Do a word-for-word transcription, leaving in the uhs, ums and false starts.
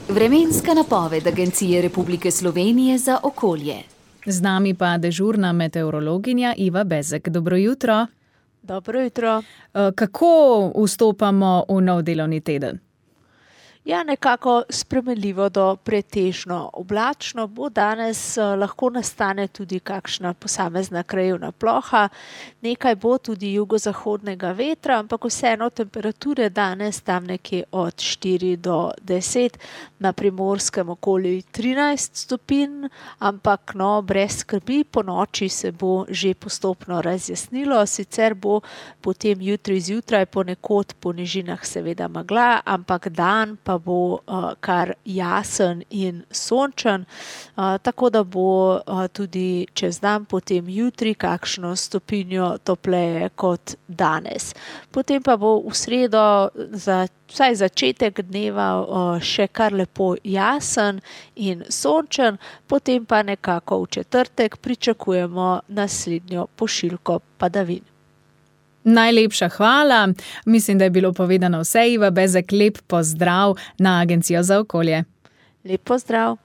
Vremenska napoved Agencije Republike Slovenije za okolje. Z nami pa dežurna meteorologinja Iva Bezek. Dobro jutro. Dobro jutro. Kako vstopamo v nov delovni teden? Ja, nekako spremenljivo do pretežno oblačno bo danes, lahko nastane tudi kakšna posamezna krajevna ploha, nekaj bo tudi jugozahodnega vetra, ampak vseeno temperature danes tam nekje od štiri do deset, na Primorskem okoli trinajst stopinj, ampak no, brez skrbi, po noči se bo že postopno razjasnilo, sicer bo potem jutri zjutraj ponekod po nižinah seveda megla, ampak dan pa bo uh, kar jasen in sončen, uh, tako da bo uh, tudi čez dan potem jutri kakšno stopinjo topleje kot danes. Potem pa bo v sredo za vsaj začetek dneva uh, še kar lepo jasen in sončen, potem pa nekako v četrtek pričakujemo naslednjo pošiljko padavin. Najlepša hvala. Mislim, da je bilo povedano vse. Iva Bezek, lep pozdrav na Agencijo za okolje. Lep pozdrav.